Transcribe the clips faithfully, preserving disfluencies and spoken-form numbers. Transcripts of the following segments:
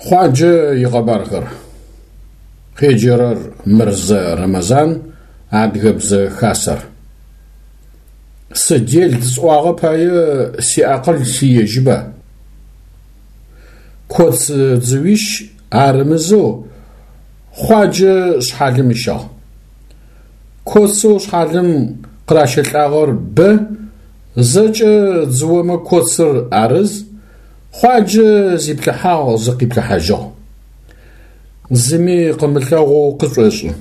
Хъуаджэ икъэбархэр. Къеджэрэр Мырзэ Рэмэзан, Адыгэбзэ Хасэр. Сыдел сӏуагъэ пае сиакъыл сиежьыба. Коц дзыуищ арымызэу Хъуаджэ шъхьалым ыщагъ. Коцэу шъхьалым къыращэлӏагъэр бэ, зэкӏэ дзыомэ коцыр арыз, Хъуаджэ зиплъыхьагъ зыкъиплъыхьажьыгъ. Зыми къымылъэгъоу къышӏошӏы.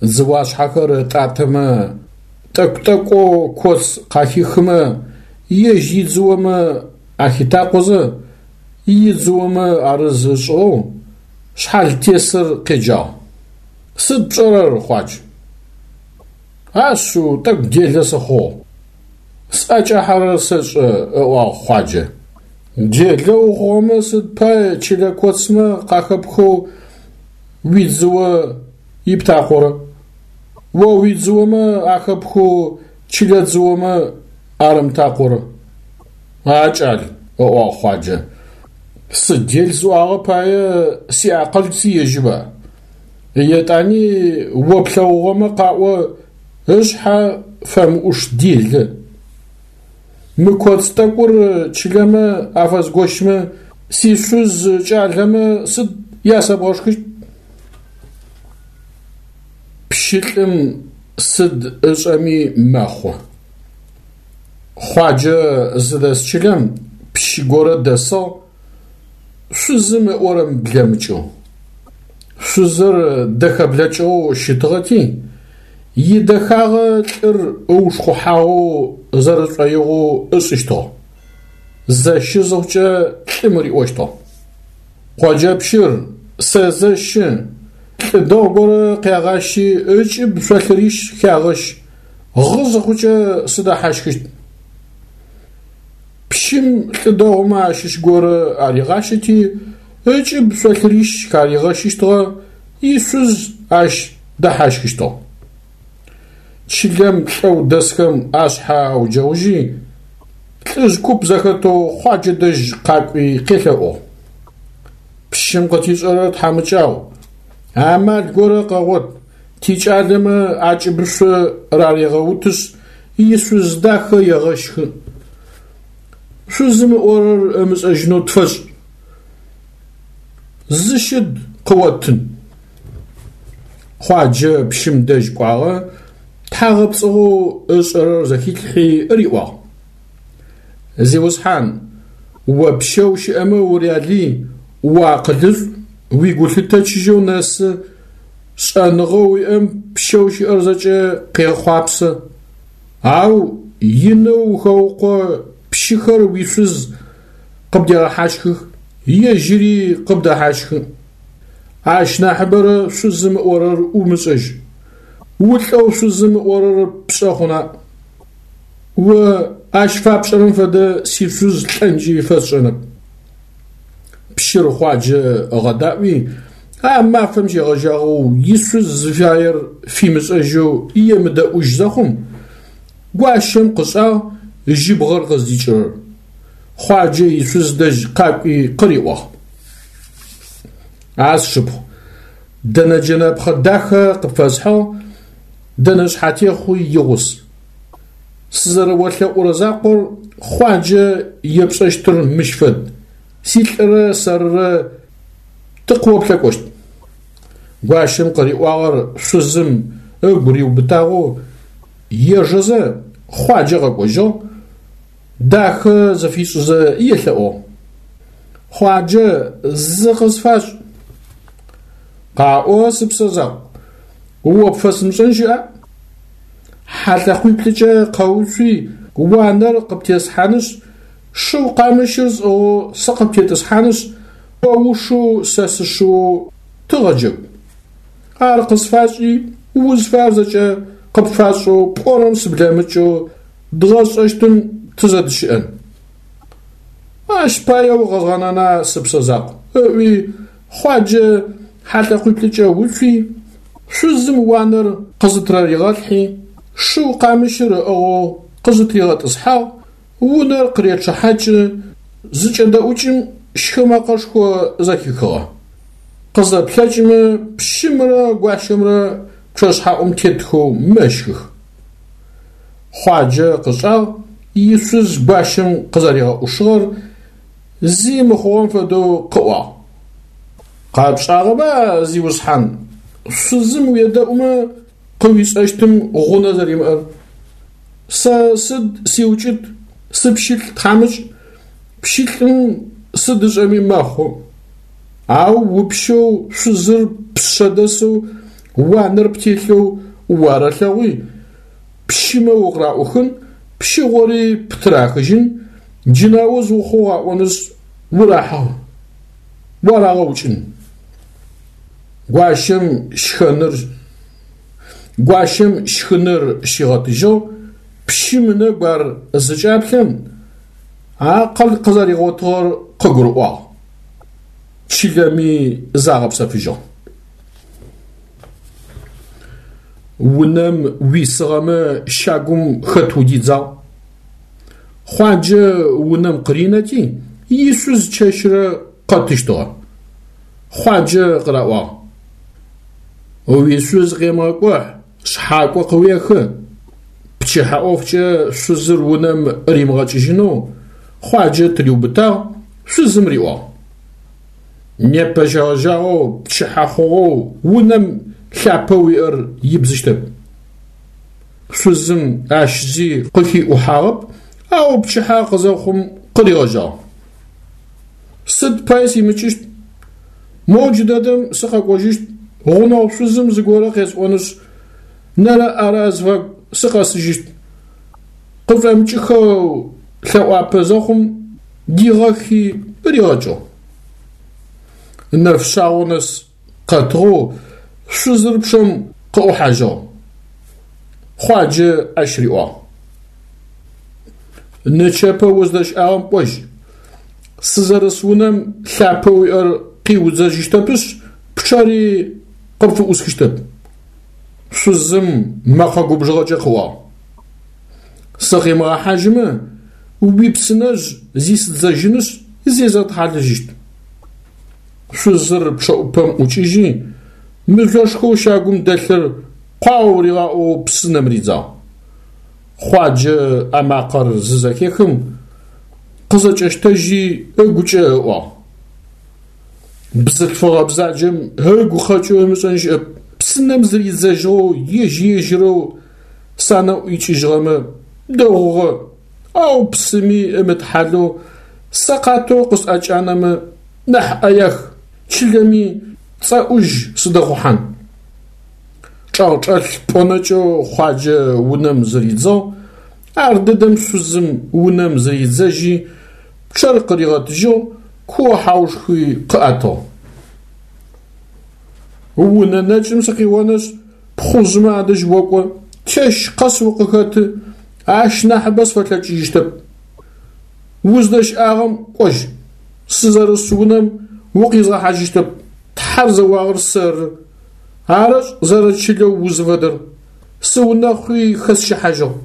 Дзыуашъхьэхэр ытӏатэмэ, тӏэкӏу-тӏэкӏоу коц къахихымэ ежь идзыомэ ахитакъозэ, идзыомэ арыз ышӏыгъэу шъхьалтесыр къеджагъ: «Сыд пшӏэрэр, Хъуадж?» «Ашъыу, тӏэкӏу делэ сыхъугъ. Сӏэкӏахьэрэр сэшӏэ», – ыӏуагъ Хъуаджэ. «Делэ ухъугъэмэ сыд пай чылэ коцмэ къахэпхэу уидзыо иптакъорэ? О уидзыомэ ахэпхэу чылэ дзыомэ арымтакъорэ?» «А кӏал, – ыӏуагъ Хъуаджэ, – сыдел сӏуагъэ пае сиакъыл сиежьыба? Етӏани о плъэгъугъэмэ къаӏо, ышъхьэ фэмыӏуш делэ. Мы коц тӏэкӏур чылэмэ афэзгощмэ, сишъуз кӏалэмэ сыд ясэбгъэшхыщт?» Пщылӏым сыд ышӏэми мэхъу. Хъуаджэ зыдэс чылэм пщы горэ дэсыгъ, шъузым ыӏорэм блэмыкӏэу. Шъузыр дэхэ блэкӏыгъэу щытыгъэти, идэхагъэ лӏыр ыушхъухьагъэу зэрэшӏоигъоу ышӏыщтыгъ. Зэщы зыхъукӏэ лӏым риӏощтыгъ: «Къоджэпщыр, сэзэщы, лӏы дэгъу горэ къягъащи ыкӏыб шъолъырищ хягъэщ, гъы зыхъукӏэ сыдэхьащхыщт». Пщым лӏы дэгъумэ ащыщ горэ аригъащэти ыкӏыб шъолъырищ харигъэщыщтыгъэ, ишъуз ащ дэхьащхыщтыгъ. Чылэм лӏэу дэсхэм ашъхьэ ауджэгъужьи, лӏыжъ куп зэхэтэу Хъуаджэ дэжь къакӏуи къелъэӏугъ: «Пщым къытишӏэрэр тхьамыкӏагъу, амал горэ къэгъот, тикӏалэмэ акӏыбышъо рарегъэутышъ ишъуз дахэ егъэщхы. Шъузым ыӏорэр ымышӏэжьынэу тфэшӏ. Зы щыд къыоттын». Хъуаджэ пщым дэжь кӏуагъэ, тхьагъэпцӏыгъэу ышӏэрэр зэхилъхьи риӏуагъ: «Зиусхьан, о пщэу щыӏэмэ урялый, уакъылышӏу, уигулъытэ чыжьэу нэсы, шӏэныгъэу уиӏэм пщэу щыӏэр зэкӏэ къехъуапсэ. Ау инэу ухэукъо, пщыхэр уишъуз къыбдегъэхьащхых, ежьыри къыбдэхьащхы. Ащ нахьыбэрэ шъузым ыӏорэр умышӏэжь. Улӏэу шъузым ыӏорэр пшӏэ хъуна? О ащ фапшӏэрэм фэдэ сишъуз лӏэнкӏи фэсшӏэнэп». Пщыр Хъуаджэ ыгъэдаӏуи, а мафэм щегъэжьагъэу ишъуз зыфаер фимышӏэжьэу емыдэӏужь зэхъум, гуащэм къышӏагъ жьыбгъэр къыздикӏырэр. Хъуаджэ ишъуз дэжь къакӏуи къыриӏуагъ: «А сшыпхъу, дэнэ джэнэпхъэ дахэ къыпфэсхьыгъ, дэнэ шъхьатехъуи игъус. Сызэрэолъэӏурэ закъор Хъуаджэ епшӏэщтыр мыщ фэд: силӏырэ сэрырэ тыкъыоплъэкӏощт». Гуащэм къыриӏуагъэр шъузым ыгу риубытагъэу ежэзэ Хъуаджэ къэкӏожьыгъ, дахэ зыфишӏызэ елъэӏугъ: «Хъуаджэ, зы къысфашӏ». «Къаӏо, сыпсэ закъу, о пфэсымышӏэн щыӏа? Хьалъэкъуиплӏыкӏэ къэуцуи уанэр къыптеслъхьанышъ, шыу къамыщыр сӏыгъэу сыкъыптетӏысхьанышъ, о ушыу сэ сышыоу тыгъэджэгу. Ар къысфашӏи, узфаер зэкӏэ къыпфасшӏэу пӏорэм сыблэмыкӏэу дгъэшӏэщтым тызэдыщыӏэн». «Ащ пае укъэзгъэнэна, сыпсэ закъу», – ыӏуи Хъуаджэ хьалъэкъуиплӏыкӏэ уцуи, шъузым уанэр къызытыраригъэлъхьи, шыу къамыщыр ыӏыгъэу къызытригъэтӏысхьагъ, унэр къыречъыхьакӏы, зыкӏэдэӏукӏым щхы мэкъэшхо зэхихыгъэ. Къызэплъэкӏымэ пщымрэ гуащэмрэ пчъэшъхьаӏум тетхэу мэщхых. Хъуаджэ къышӏагъ ишъуз гуащэм къызэригъэӏушыгъэр зи мыхъугъэм фэдэу къыӏуагъ. Къэпшӏагъэба, зиусхьан, шъузым уедэӏумэ къыуишӏэщтым гъунэ зэримыӏэр. Сэ сыд сиукӏыт, сыпщылӏ тхьамыкӏ, пщылӏым сыд ышӏэми мэхъу. Ау упщэу шъузыр пшъэ дэсэу, уанэр птелъэу уарэлъэгъуи, пщымэ укъыраӏухын, пщыгъори птырахыжьын, джынауз ухъугъ аӏонышъ урахьыгъ, уарагъэукӏын. Гуащэм щхэныр Гуащэм щхыныр щигъэтыжьыгъ, пщым ынэгу ар зыкӏаплъэм, акъыл къызэригъотыгъэр къыгурыӏуагъ. Чылэми загъэпсэфыжьыгъ. Унэм уисыгъэмэ щагум хэт удидзагъ? Хъуаджэ унэм къыринэти, ишъуз чэщрэ къэтыщтыгъэ. Хъуаджэ къыраӏуагъ: Уишъуз къемыгъэкӏухь, шъхьакӏо къыуехы. Пчыхьэ ӏофкӏэ шъузыр унэм римыгъэкӏыжьынэу Хъуаджэ тыриубытагъ, шъузым риӏуагъ: Непэ щегъэжьагъэу пчыхьэ хъугъэу унэм лъапэ уиӏэр ибдзыщтэп. Шъузым ащ зи къыхиӏухьагъэп, ау пчыхьэ къызэхъум къыригъэжьагъ. Сыд пай симыкӏыщт? Моу джыдэдэм сыкъэкӏожьыщт, гъунэгъу шъузым зыгорэ къесӏонышъ, нэрэ-ӏэрэ азыфагу сыкъэсыжьыщт. Къышӏомыкӏыхэу лъэӏуапэ зэхъум дигъэхи ригъэкӏыгъ. Нэфшъагъо нэс къэтыгъэу шъузыр пчъэм къыӏухьажьыгъ. Хъуаджэ ащ риӏуагъ: Нычэпэ уздэщыӏагъэм кӏожь. Сызэрыс унэм лъапэ уиӏэр къиудзэжьыщтэпышъ, пчъэри къыпфыӏусхыщтэп. Шъузым мэкъэ губжыгъэкӏэ къыӏуагъ: Сыкъимыгъэхьажьымэ, уипсынэжъ зисыдзэжьынышъ, зезгъэтхьалэжьыщт. Шъузыр пчъэӏупэм ӏукӏыжьи, мыжъошхоу щагум дэлъыр къуау ригъаӏоу псынэм ридзагъ. Хъуаджэ а макъэр зызэхехым, къызэкӏэщтэжьи ыгукӏэ ыӏуагъ: Бзылъфыгъэ бзаджэм ыгу къэкӏэу ымышӏэн щыӏэп, псынэм зыридзэжьыгъэу ежь-ежьырэу санэӏу икӏыжьыгъэмэ дэгъугъэ, ау псыми ымытхьалэу сэкъатэу къысӏэкӏанэмэ нахь ӏэях, чылэми цӏэӏужь сыдэхъухьан. Чӏэгъчӏэлъ пӏонэкӏэу Хъуаджэ унэм зыридзыгъ, ар дэдэм шъузым унэм зыридзэжьи, пчъэр къыригъэтыжьыгъ, куо-хьаушхуи къыӏэтыгъ. Унэ нэкӏым сыкъионышъ, пхъужъмэ адэжь окӏо, чэщ къэс укъыхэты, ащ нахьыбэ сфэлъэкӏыжьыщтэп. Уздэщыӏагъэм кӏожь, сызэрыс унэм укъизгъэхьажьыщтэп, Тхьэр зэуагъэр сэры, арэшӏ зэрэчылэу узыфэдэр, сыунэхъуи хэсщыхьажьыгъ.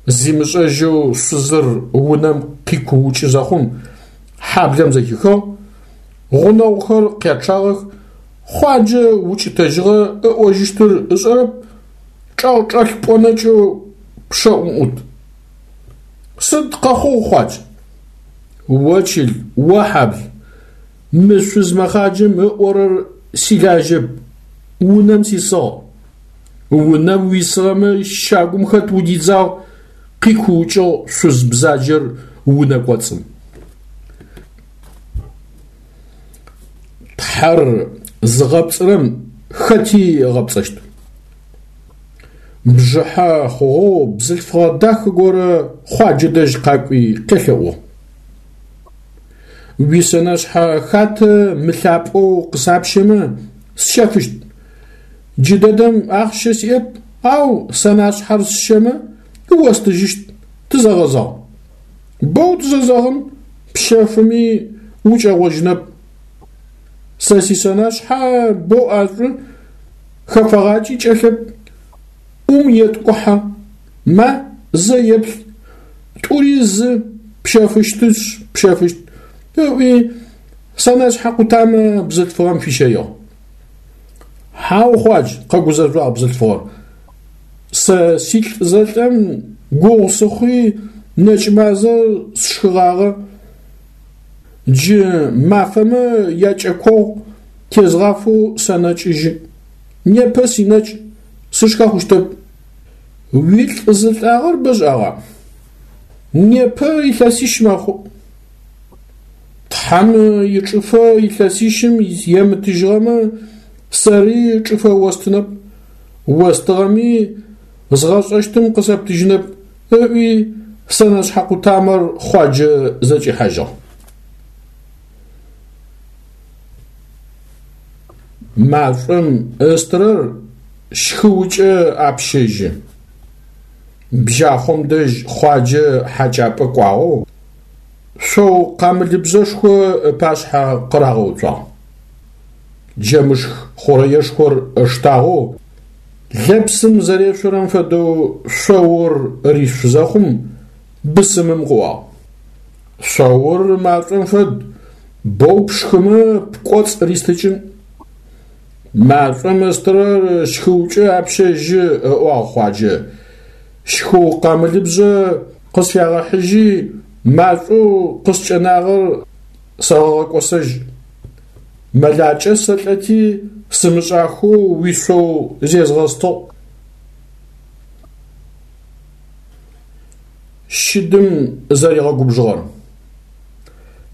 Зимышӏэжьэу шъузыр унэм къикуукӏы зэхъум, хьаблэм зэхихыгъ, гъунэгъухэр къячъагъэх, Хъуаджэ укӏытэжьыгъэ ыӏожьыщтыр ышӏэрэп, чӏэгъчӏэлъ пӏонэкӏэу пчъэӏум ӏут. Сыд къэхъугъ, Хъуадж? О чыл, о хьабл, мы шъуз мэхъаджэм ыӏорэр силажьэп, унэм сисыгъ. Унэм уисыгъэмэ щагум хэт удидзагъ, къикуукӏыгъ шъуз бзаджэр унэ кӏоцӏым. Тхьэр зыгъэпцӏырэм хэти ыгъэпцӏэщт. Бжыхьэ хъугъэу бзылъфыгъэ дахэ горэ Хъуаджэ дэжь къакӏуи къелъэӏугъ: Уисэнэшъхьэ хатэ мылъапӏэу къысапщэмэ, сщэфыщт. Джыдэдэм ахъщэ сиӏэп, ау сэнашъхьэр сщэмэ, остыжьыщт, тызэгъэзэгъ. Боу тызэзэгъын, пщэфыми укӏэгъожьынэп. Сэ сисэнашъхьэ боу ӏэшӏу, хэфэгъакӏи кӏэлъэп, ӏум еткӏухьэ. Ма, зэ еплъ, тӏури зы, пщэфыщтышъ, пщэфыщт, ыӏуи сэнэшъхьэ къутамэ бзылъфыгъэм фищэигъ. Хьау, Хъуадж, къэгузэжъуагъ бзылъфыгъэр. Сэ силӏ зэлӏэм гугъу сыхъуи нэкӏмазэр сшхыгъагъэ. Джы мафэмэ якӏэкогъу тезгъафэу сэнэкӏыжьы. Непэ синэкӏ, сышхэ хъущтэп. Уилӏ зылӏагъэр бэшӏагъа? Непэ илъэсищ мэхъу. Тхьэм ичӏыфэ илъэсищым емытыжьыгъэмэ, сэри чӏыфэ остынэп, остыгъэми згъэшӏэщтым къысэптыжьынэп, ыӏуи сэнэшъхьэ къутамэр Хъуаджэ зэкӏихьажьыгъ. Машӏом ыстырэр щхыукӏэ апщэжьы. Бжьахъом дэжь Хъуаджэ хьакӏапӏэ кӏуагъэу, шъоу къамылыбжъэшхо ыпашъхьэ къырагъэуцуагъ. Джэмышх хъурэешхор ыштагъэу, лэпсым зэрешъорэм фэдэу шъоур ришъу зэхъум, бысымым къыӏуагъ: Шъоур машӏом фэд, боу пшхымэ пкӏоцӏ ристыкӏын. Машӏом ыстырэр щхыукӏэ апщэжьы, ыӏуагъ Хъуаджэ. Щхыу къамылыбжъэ къысфягъэхьыжьи, машӏоу къыскӏэнагъэр сэгъэгъэкӏосэжь. Мэлакӏэ сэлӏэти сымышӏахэу уишъоу зезгъэстыгъ. Щыдым зэригъэгубжыгъэр.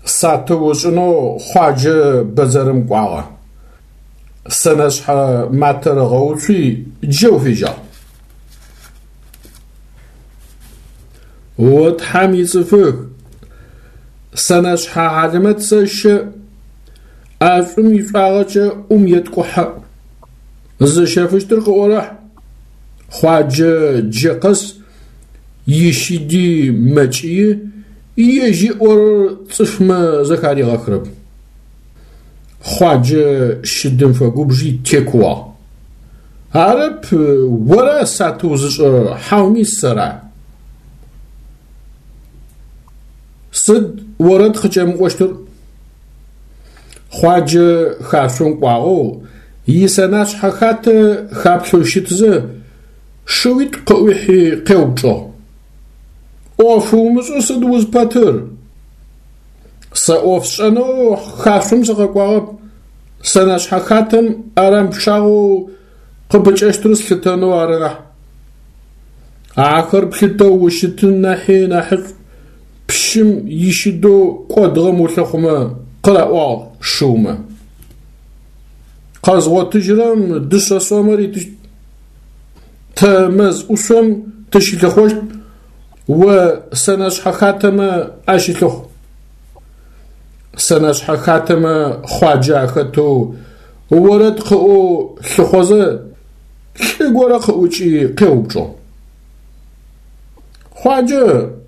Сатыу ышӏынэу Хъуаджэ бэдзэрым кӏуагъэ. Сэнэшъхьэ матэр ыгъэуцуи джэу фежьагъ. О Тхьэм ицӏыфых, сэнэшъхьэ хьалэмэт сэщэ, ӏэшӏум ишӏуагъэкӏэ ӏум еткӏухьэ. Зыщэфыщтыр къыӏорэхь. Хъуаджэ джэ къэс ищыди мэкӏыи, ежь ыӏорэр цӏыфмэ зэхаригъэхырэп. Хъуаджэ щыдым фэгубжи текууагъ. Арэп ора сатыу зышӏэрэр, хьауми сэра? Сыд орэд къыкӏэмыӏощтыр? Хъуаджэ хашъом кӏуагъэу, исэнашъхьэ хатэ хаплъэу щытызэ, шыуитӏу къыӏуихьи къеупчӏыгъ. ӏоф умышӏэу сыд узпэтыр? Сэ ӏоф сшӏэнэу хашъом сыкъэкӏуагъэп. Сэнэшъхьэ хатэм ӏэрам пчъагъэу къыпыкӏэщтыр слъытэнэу ары нахь. Ахэр плъытэу ущытын нахьи нахьышӏу пщым ищыдэу кӏодыгъэм улъыхъумэ, къыраӏуагъ шыумэ. Къэзгъотыжьырэм дышъэ сомэ ритыщт. Тэ мэз ӏушъом тыщылъыхъощт, о сэнэшъхьэ хатэмэ ащылъыхъу. Сэнэшъхьэ хатэмэ Хъуаджэ ахэтэу орэд къыӏоу лъыхъозэ, лӏы горэ къыӏукӏи къеупчӏыгъ. Хъуаджэ,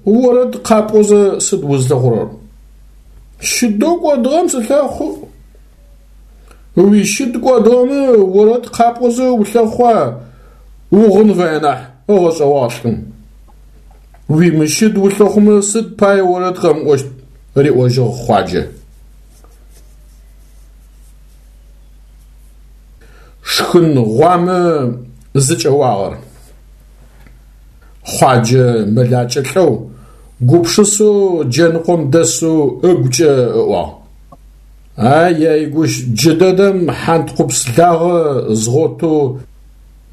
орэд къапӏозэ сыд узлъыхъурэр? Щыдэу кӏодыгъэм сылъэхъу. Уищыд кӏодыгъэмэ орэд къапӏозэ улъэхъуа, угъын фае нахь, ыгъэшӏэгъуагъ лӏым. Уимыщыд улъыхъумэ сыд пае орэд къэмыӏощт, риӏожьыгъ Хъуаджэ. Шхын гъуамэ зыкӏэуагъэр. Хъуаджэ мэлакӏэ лӏэу, гупшысэу джэныкъом дэсэу ыгукӏэ ыӏуагъ. Ай-яй гущ, джыдэдэм хьанткъупс лагъэ згъотэу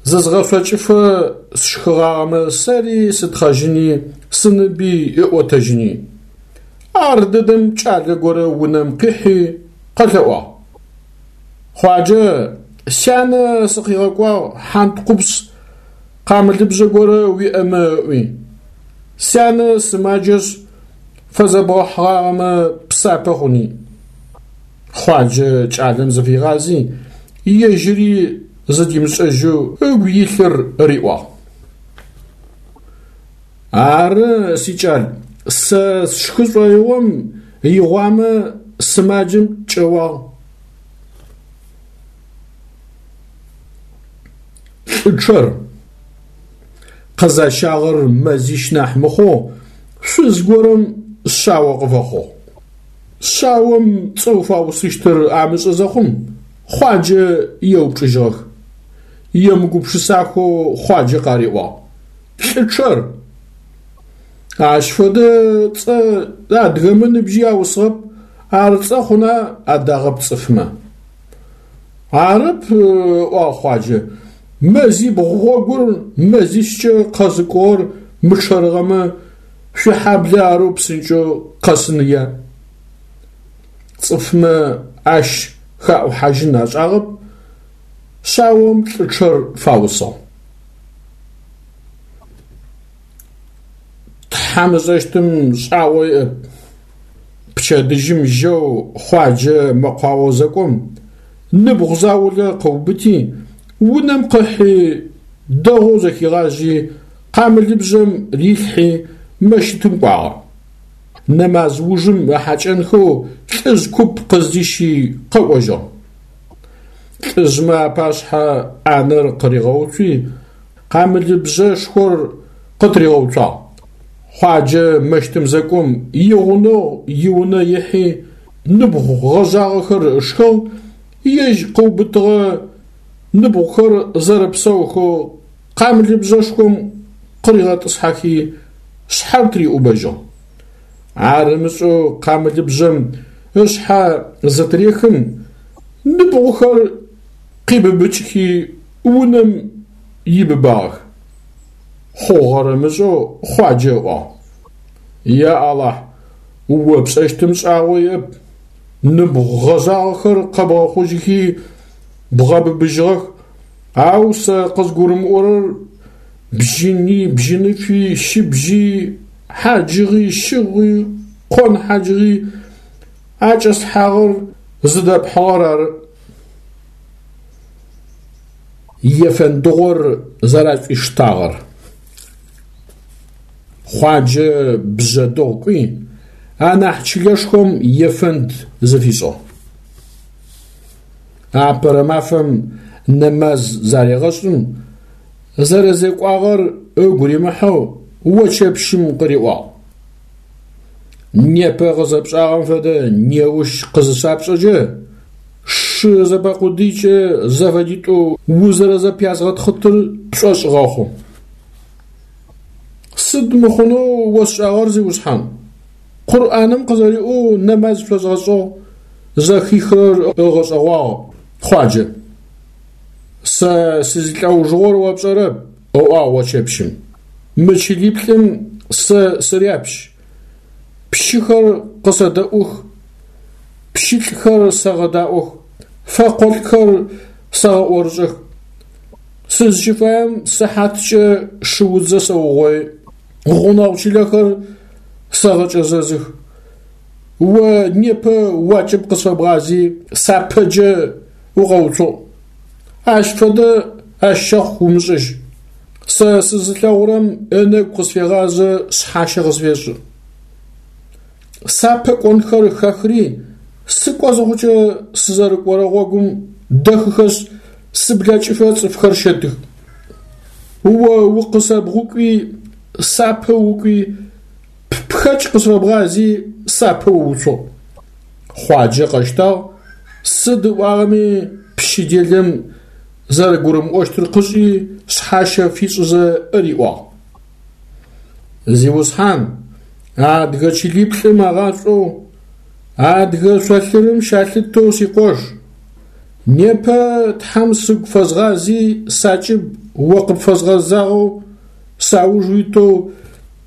зызгъэшъокӏыфэ сшхыгъагъэмэ сэри сытхъэжьыни, сыныби ыӏотэжьыни. Ар дэдэм кӏалэ горэ унэм къихьи къэлъэӏуагъ. Хъуаджэ, сянэ сыкъигъэкӏуагъ хьанткъупс къамылыбжъэ горэ уиӏэмэ ыӏуи. Сянэ сымаджэшъ, фэзэбгъэхьыгъагъэмэ псапэ хъуни. Хъуаджэ кӏалэм зыфигъази, ежьыри зыдимышӏэжьэу ыгу илъыр риӏуагъ. Ары, сикӏал, сэ сшхы шӏоигъом игъуамэ сымаджэм кӏэуагъ. Лӏы чъэр. Къызащагъэр мэзищ нахь мыхъоу шъуз горэм шъао къыфэхъугъ. Шъаом цӏэу фаусыщтыр амышӏэ зэхъум, Хъуаджэ еупчӏыжьыгъэх. Емыгупшысахэу Хъуаджэ къариӏуагъ: «Лӏычъэр». Ащ фэдэ цӏэ адыгэмэ ныбжьи аусыгъэп, ар цӏэ хъуна адагъэп цӏыфмэ. Арэп, ыӏуагъ Хъуаджэ, мэзибгъу гъогур мэзищкӏэ къэзыкӏугъэр мычъэрыгъэмэ, шъуихьаблэ арэу псынкӏэу къэсыныя. Цӏыфмэ ащ хаӏухьажьын ашӏагъэп, шъаом Лӏычъэр фаусыгъ. Тхьэм ышӏэщтым шӏагъо иӏэп. Пчэдыжьым жьэу Хъуаджэ мэкъуао зэкӏом, ныбгъу заулэ къыубыти, унэм къыхьи, дэгъоу зэхигъажъи, къамылыбжъэм рилъхьи мэщытым кӏуагъэ. Нэмаз ужым ыхьакӏэнхэу лӏыжъ куп къыздищи къэкӏожьыгъ. Лӏыжъмэ апашъхьэ ӏанэр къыригъэуцуи, къамылыбжъэшхор къытыригъэуцуагъ. Хъуаджэ мэщытым зэкӏом игъунэгъу иунэ ихьи ныбгъу гъэжъагъэхэр ышхыгъ, ежь къыубытыгъэ ныбгъухэр зэрэпсаухэу къамылыбжъэшхом къыригъэтӏысхьэхи, шъхьэр тыриӏубэжьыгъ. Ар ымышӏэу къамылыбжъэм ышъхьэ зытырехым, ныбгъухэр къибыбыкӏхи унэм ибыбагъэх. Хъугъэр ымышӏэу Хъуаджэ ыӏуагъ: «Я Алахь, о пшӏэщтым шӏагъо иӏэп, ныбгъу гъэжъагъэхэр къэбгъэхъужьыхи бгъэбыбыжьыгъэх, ау сэ къызгурымыӏорэр бжьыни, бжьыныфи, щыбжьыйи, хьаджыгъи, щыгъуи, къон хьаджыгъи акӏэслъхьагъэр зыдэпхьыгъэр ары». Ефэндыгъор зэрашӏуиштагъэр. Хъуаджэ Бжъэдыгъу кӏуи, анахь чылэшхом ефэнд зыфишӏыгъ. Апэрэ мафэм нэмаз зарегъэшӏым, зэрэзекӏуагъэр ыгу римыхьэу очэпщым къыриӏуагъ: «Непэ къызэпшӏагъэм фэдэ неущ къызысапшӏэкӏэ, шы зэпэкъудыйкӏэ зэфэдитӏоу узэрэзэпязгъэтхъытыр пшӏошъ гъэхъу». Сыд мыхъунэу осшӏагъэр, зиусхьан? Къурӏаным къызэриӏоу нэмаз шъозгъэшӏыгъ, зэхихырэр ыгъэшӏэгъуагъ Хъуаджэ. Сэ сызилӏэужыгъор о пшӏэрэп, ыӏуагъ очэпщым. Мы чылиплӏым сэ сыряпщ, пщыхэр къысэдэӏух, пщылӏхэр сэгъэдаӏох, фэкъолӏхэр сэгъэӏорышӏэх. Сызщыфаем сыхьаткӏэ шыудзэ сэугъои, гъунэгъу чылэхэр сэгъэкӏэзэзых. О непэ уакӏыб къысфэбгъази сапэджэ укъэуцугъ. Ащ фэдэ ащ щэхъу умышӏыжь. Сэ сызылъэгъурэм ынэгу къысфегъазэ, шъхьащэ къысфешӏы. Сапэ кӏонхэр хэхри, сыкӏо зыхъукӏэ сызэрыкӏорэ гъогум дэхыхэшъ, сыблэкӏыфэ цӏыфхэр щэтых. О укъысэбгъукӏуи, сапэ укӏуи, ппхэкӏ къысфэбгъази сапэ ууцугъ. Хъуаджэ къэщтагъ, сыд ыӏуагъэми пщы делэм зэрэгурымыӏощтыр къышӏи, шъхьащэ фишӏызэ ыриӏуагъ: «Зиусхьан, адыгэ чылиплӏым агъашӏоу, адыгэ шъолъырым щалъытэу сикъош, непэ Тхьэм сыгу фэзгъази сакӏыб о къыпфэзгъэзагъэу сауж уитэу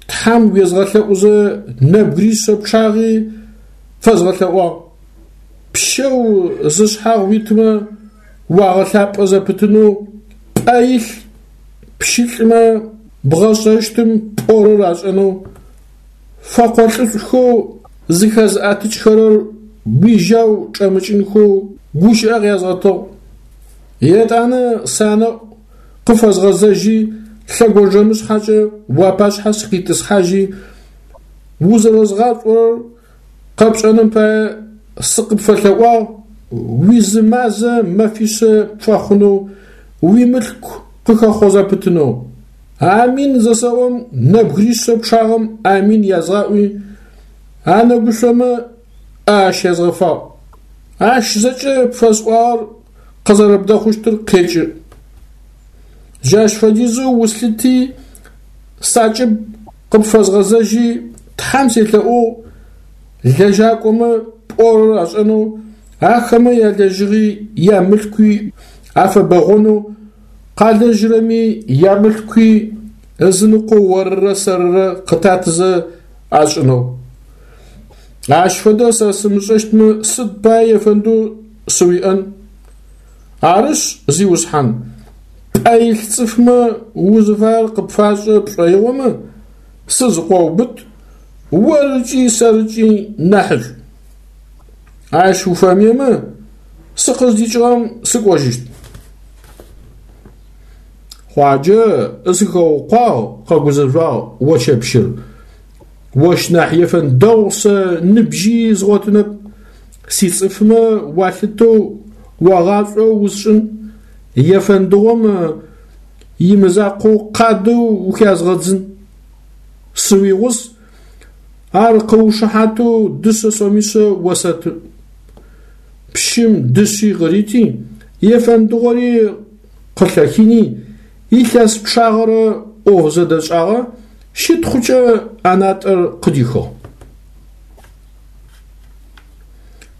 Тхьэм уезгъэлъэӏузэ нэбгыришъэ пчъагъи фэзгъэлъэӏуагъ. Пщэу зышъхьагъ уитмэ уагъэлъапӏэ зэпытынэу, пӏэ илъ пщылӏмэ бгъэшӏэщтым пӏорэр ашӏэнэу, фэкъолӏышӏухэу зыхэзыӏэтыкӏхэрэр уижьау чӏэмыкӏынхэу гущыӏэ къязгъэтыгъ. Етӏанэ санэӏу къыфэзгъэзэжьи лъэгонджэмышъхьэкӏэ уапашъхьэ сыкъитӏысхьажьи, узэрэзгъашӏорэр къэпшӏэным пае сыкъыпфэлъэӏуагъ уизы мазэ мэфишъэ пфэхъунэу, уимылъку къыхэхъо зэпытынэу. Амин зэсэӏом нэбгыришъэ пчъагъэм амин язгъаӏуи, анэгушъомэ ӏэ ащезгъэфагъ. Ащ зэкӏэ пфэсӏуагъэр къызэрэбдэхъущтыр къекӏы. Джащ фэдизэу услъыти, сакӏыб къыпфэзгъэзэжьи, Тхьэм селъэӏугъ лэжьакӏомэ пӏорэр ашӏэнэу, ахэмэ ялэжьыгъи ямылъкуи афэбэгъонэу, къалэжьырэми ямылъкуи ызыныкъо орырэ сэрырэ къытатызэ ашӏынэу. Ащ фэдэ сэ сымышӏэщтмэ сыд пае ефэндэу сыуиӏэн? Арышъ, Зиусхьан, пӏэ илъ цӏыфмэ узыфаер къыпфашӏэ пшӏоигъомэ, сызкъоубыт, орыкӏи сэрыкӏи нахьышӏу. Ащ уфэмыемэ, сыкъыздикӏыгъэм сыкӏожьыщт. Хъуаджэ, сыхэукъуагъ, къэгузэжъуагъ Очэпщыр. Ощ нахь ефэнд дэгъу сэ ныбжьи згъотынэп. Сицӏыфмэ уалъытэу уагъашӏоу усшӏын, ефэндыгъом имызакъоу къадэу ухязгъэдзын. Сыуигъус, ар къыушыхьатэу дышъэ сомишъэ осэты. Пщым дышъи къырити, ефэндыгъори къылъэхини, илъэс пчъагъэрэ ӏоф зэдэшӏагъэ, щытхъукӏэ ӏэнатӏэр къыдихыгъ.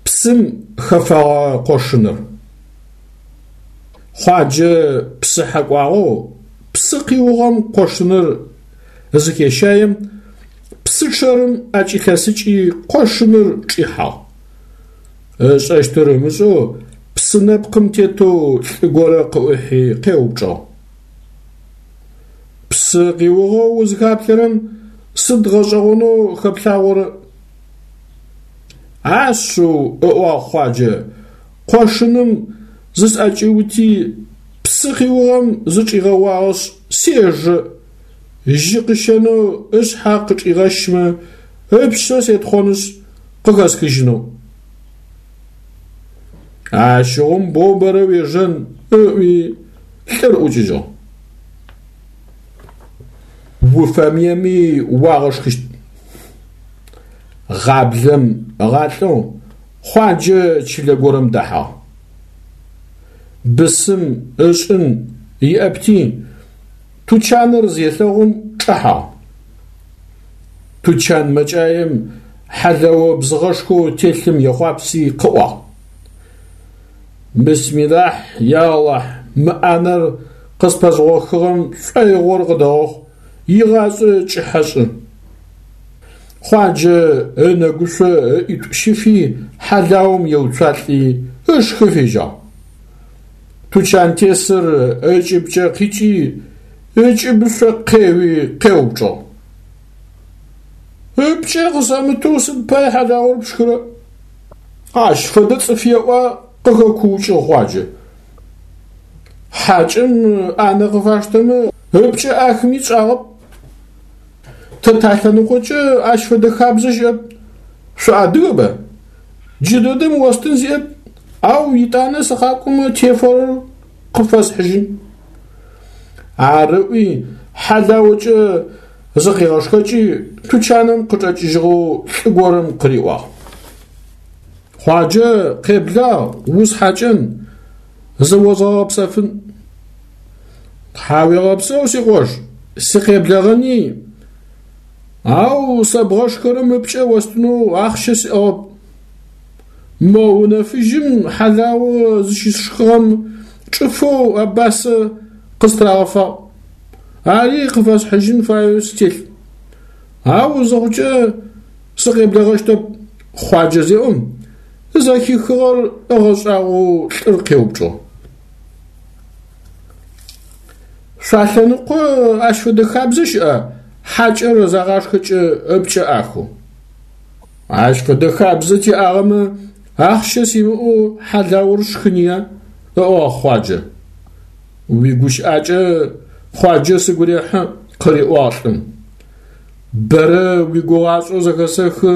Псым хэфэгъэ къошыныр. Хъуаджэ псыхьэ кӏуагъэу псы къиугъэм къошыныр зыхещаем, псы чъэрым ӏэкӏилъэсыкӏи къошыныр чӏихьагъ. Ышӏэщтыр ымышӏэу псы нэпкъым тетэу лӏы горэ къыӏухьи къеупчӏыгъ. Псы къиугъэу узыхаплъэрэм сыд гъэшӏэгъонэу хэплъагъорэ? Ашъыу, ыӏуагъ Хъуаджэ, къошыным зысӏэкӏиути, псы къиугъэм зычӏигъэуагъэшъ сежэ, жьы къыщэнэу ышъхьэ къычӏигъэщмэ, ыпшъэ сетхъонышъ къыхэсхыжьынэу. Ащыгъум боу бэрэ уежэн, ыӏуи лӏыр ӏукӏыжьыгъ. Уфэмыеми уагъэшхыщт. Гъаблэм ыгъалӏэу Хъуаджэ чылэ горэм дэхьагъ. Бысым ышӏын иӏэпти, тучаныр зелъэгъум чӏэхьагъ. Тучан мэкӏаем хьалэо бзыгъэшхоу телъым ехъуапси къыӏуагъ: Бисмилахь, я Алахь, мы ӏанэр къыспэзгъохыгъэм шӏоигъор къыдэгъэхъу, игъашӏэ кӏыхьэ шӏы. Хъуаджэ ынэгушъо ыӏитӏу щифи хьалаум еуцуалӏи ышхы фежьагъ. Тучантесыр ыкӏыбкӏэ къикӏи ыкӏыбышъо къеуи къеупчӏыгъ: Ыпкӏэ къысэмытэу сыд пае хьалаор пшхырэ? Ащ фэдэ цӏыф еӏуа къыхэкуукӏыгъ Хъуаджэ. Хьакӏэм ӏанэ къыфаштэмэ ыпкӏэ ӏахыми тшӏагъэп. Тэ талъэныкъокӏэ ащ фэдэ хабзэ щыӏэп. Шъуадыгэба? Джыдэдэм остын сиӏэп, ау етӏанэ сыкъакӏомэ тефэрэр къыпфэсхьыжьын. Ар ыӏуи хьалаокӏэ зыкъигъэшхэкӏи тучаным къычӏэкӏыжьыгъэу лӏы горэм къыриӏуагъ: Хъуаджэ, къеблагъ, усхьакӏэн, зыозгъэгъэпсэфын. Тхьауегъэпсэу, сикъош, сыкъеблэгъэни, ау сэ бгъэшхырэм ыпкӏэ остынэу ахъщэ сиӏагъэп. Мо унэ фыжьым хьалао зыщысшхыгъэм чӏыфэу абасэ къыстырагъэфагъ. Ари къыфэсхьыжьын фаеу стелъ. Ау зыхъукӏэ сыкъеблэгъэщтэп, Хъуаджэ зеӏом, зэхихыгъэр ыгъэшӏагъоу лӏыр къеупчӏыгъ. Шъуалъэныкъо ащ фэдэ хабзэ щыӏа хьакӏэр загъашхэкӏэ ыпкӏэ ӏахэу? Ащ фэдэ хабзэ тиӏагъэмэ ахъщэ симыӏэу хьалаур сшхыныя, ыӏуагъ Хъуаджэ. Уигущыӏакӏэ Хъуаджэ сыгу рехьы, къыриӏуагъ лӏым. Бэрэ уигугъашӏэу зэхэсэхы,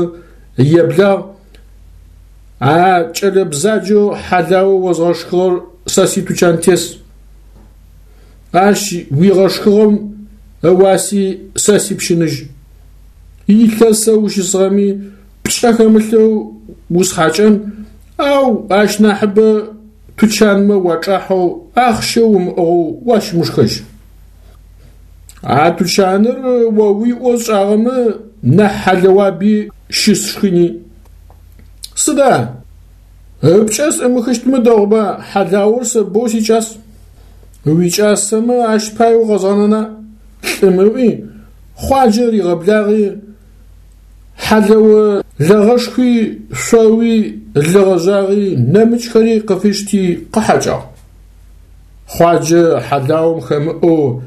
еблагъ, а кӏэлэ бзаджэу хьалао озгъэшхыгъэр сэ ситучантес. Ащ уигъэшхыгъэм ыуаси сэ сипщыныжь. Илъэсэ ущысыгъэми пкӏэ хэмылъэу усхьакӏэн, ау ащ нахьыбэ тучанмэ уачӏахьэу ахъщэ умыӏыгъэу уащымышхэжь. А тучаныр о уиӏэу сшӏагъэмэ нахь хьалыуаби щысшхыни. Сыда? Ыпкӏэ сӏымыхыщтмэ дэгъуба, хьалаур сэ боу сикӏас. Уикӏасэмэ ащ пай укъэзгъэнэна? Лӏым ыӏуи, Хъуаджэ ригъэблагъи, хьалэо лэгъэшхуи, шъоуи, лы гъэжъагъи, нэмыкӏхэри къыфишти къыхьакӏагъ. Хъуаджэ хьалаум хэмыӏэу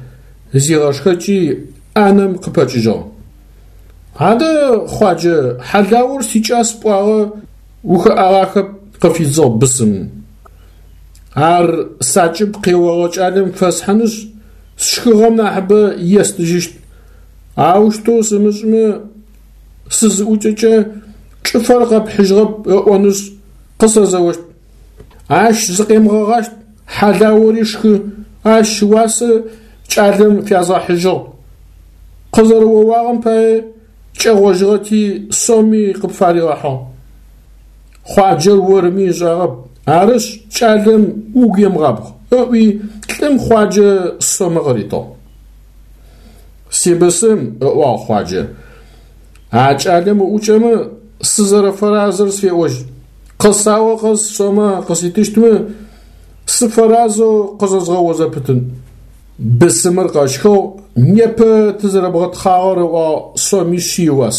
зигъэшхэкӏи ӏанэм къыпэкӏыжьыгъ. Адэ, Хъуаджэ, хьалаур сикӏас пӏуагъэ, ухэӏагъахэп, къыфидзыгъ бысымым. Ар сакӏыб къеогъэ кӏалэм фэсхьынышъ, сшхыгъэм нахьыбэ естыжьыщт. Аущтэу сымышӏымэ, сызыӏукӏэкӏэ чӏыфэр къэпхьыжьыгъэп ыӏонышъ къысэзэощт. Ащ зыкъемыгъэгъащт, хьалаури шхы, ащ ыуасэ кӏалэм фязгъэхьыжьыгъ. Къызэрэоуагъэм пае кӏэгъожьыгъэти соми къыпфаригъэхьыгъ. Хъуаджэр орми ышӏагъэп, арышъ кӏалэм угу емыгъабгъ, ыӏуи лӏым Хъуаджэ сомэ къыритыгъ. Сибысым, ыӏуагъ Хъуаджэ, а кӏалэм уӏукӏэмэ сызэрэфэразэр сфеӏожь. Къысао къэс сомэ къыситыщтмэ, сыфэразэу къызэзгъэо зэпытын. Бысымыр къэщхыгъ, непэ тызэрэбгъэтхъагъэр ыӏуагъ сомишъи ыуас.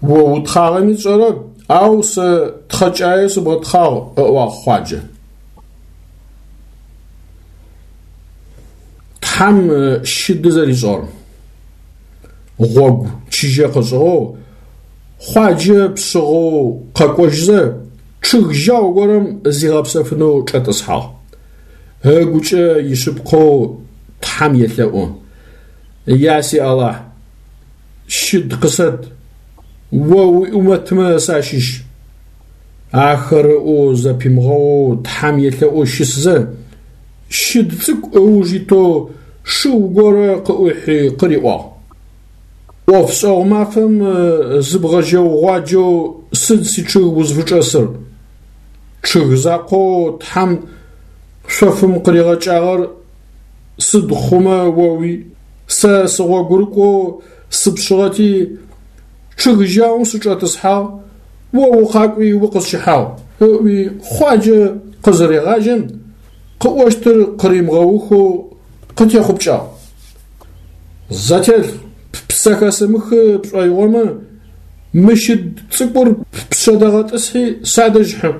О утхъагъэми сшӏэрэп, ау сэ тхъэкӏае сыбгъэтхъагъ, ыӏуагъ Хъуаджэ. Тхьэм щыды зэришӏыгъэр. Гъогу чыжьэ къышӏыгъэу, Хъуаджэ пшъыгъэу къэкӏожьызэ, чъыг жьау горэм зигъэпсэфынэу чӏэтӏысхьагъ. Ыгукӏэ ишъыпкъэу Тхьэм елъэӏу. Я си Алахь, щыд къысэт, о уиӏумэтмэ сащыщ. Ахэр ыӏоу зэпимыгъэоу Тхьэм елъэӏоу щысызэ, щыд цӏыкӏу ыуж итэу шыу горэ къыӏухьи къыриӏуагъ. ӏофшӏэгъу мафэм зыбгъэжьэугъуаджэу сыд сичъыг узфычӏэсыр? Чъыг закъоу Тхьэм шъофым къыригъэкӏагъэр сыд хъумэ оуи? Сэ сыгъогурыкӏоу сыпшъыгъэти, чъыг жьаум сычӏэтӏысхьагъ, о укъакӏуи укъысщыхьагъ, ыӏуи Хъуаджэ къызырегъажьэм, къыӏощтыр къыримыгъэухэу къытехъупкӏагъ. Зэтелъ, ппсэ хэсымыхы пшӏоигъомэ, мы щыд цӏыкӏур ппшъэ дэгъэтӏысхьи садэжь хьы.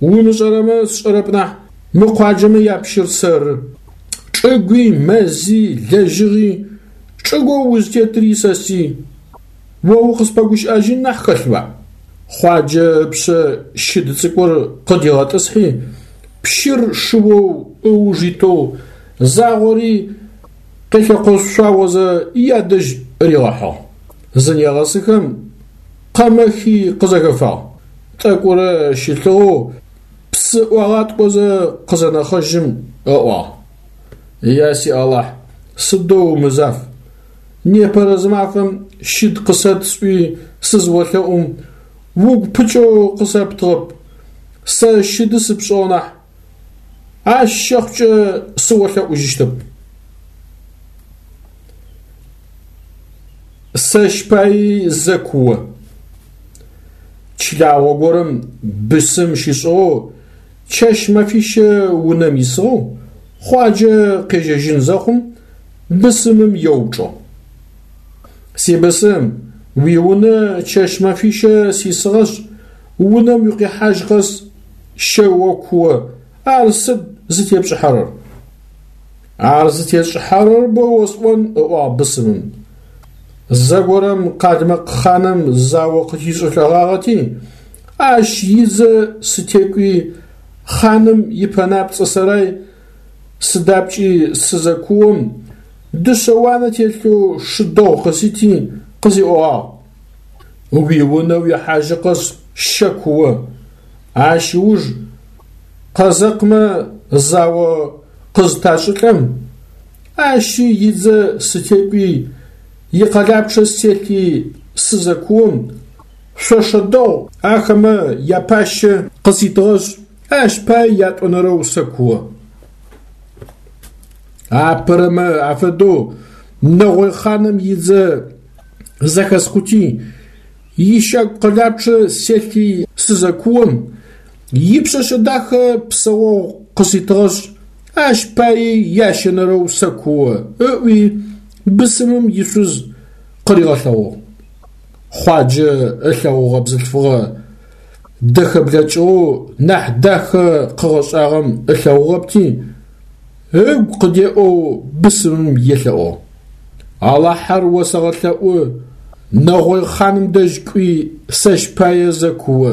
Умышӏэрэмэ сшӏэрэп нахь, мы къуаджэмэ япщыр сэры. Чӏыгуи, мэзи, лэжьыгъи, чӏыгоу узтетри сэсый. О укъыспэгущыӏэжьын нахь хэлъба? Хъуаджэ ыпшъэ щыд цӏыкӏур къыдигъэтӏысхьи, пщыр шыоу ыуж итэу загъори къелъэкъошъуаозэ ядэжь ригъэхьыгъ. Зынегъэсыхэм къэмэхи къызэхэфагъ. Тӏэкӏурэ щылъыгъэу псы ӏуагъаткӏозэ къызэнэхъэжьым ыӏуагъ. Я си Алахь, сыдэу умызаф! Непэрэ зымафэм щыд къысэт сӏуи сызыолъэӏум, угу пыкӏэу къысэптыгъэп, сэ щыды сыпшӏыгъ нахь, ащ щэхъукӏэ сыолъэӏужьыщтэп. Сэщ паи зэ куо. Чылагъо горэм бысым щишӏыгъэу, чэщ мэфищэ унэм исыгъэу, Хъуаджэ къежьэжьын зэхъум, бысымым еупчӏыгъ. Сибысым, уиунэ чэщ мэфищэ сисыгъэшъ, унэм укъихьажь къэс щэ окуо, ар сыд зытепшӏыхьэрэр? Ар зытесшӏыхьэрэр боу осӏон, ыӏуагъ бысымым. Зэгорэм къалмыкъ хъаным зао къытишӏылӏэгъагъэти, ащ идзэ сытекӏуи хъаным ипэнапцӏэ сэрай сыдапкӏи сызэкуом, дышъэ уанэ телъэу шы дэгъу къысити къысиӏогъагъ. Уиунэ уихьажьы къэс щэ куо. Ащ ыуж къэзэкъмэ зао къызыташӏылӏэм, ащи идзэ сытекӏуи икъэлапчъэ селъи сызэкуом, Шъошэ дэгъу ахэмэ япащэ къыситыгъэшъ, ащ пае ятӏонэрэу сэкуо. Апэрэмэ афэдэу нэгъой хъаным идзэ зэхэскъути, ищагу къэлапчъэ селъи сызэкуом, ипшъэшъэ дахэ псэогъу къыситыгъэшъ, ащ паий ящэнэрэу сэкуо, ыӏуи бысымым ишъуз къыригъэлъэгъугъ. Хъуаджэ ылъэгъугъэ бзылъфыгъэ дэхэ блэкӏыгъэу нахь дахэ къыгъэшӏагъэм ылъэгъугъэпти, ыгу къыдеӏэу бысымым елъэӏугъ: Алахьэр осэгъэлъэӏу, нэгъой хъаным дэжь кӏуи сэщ пае зэ куо.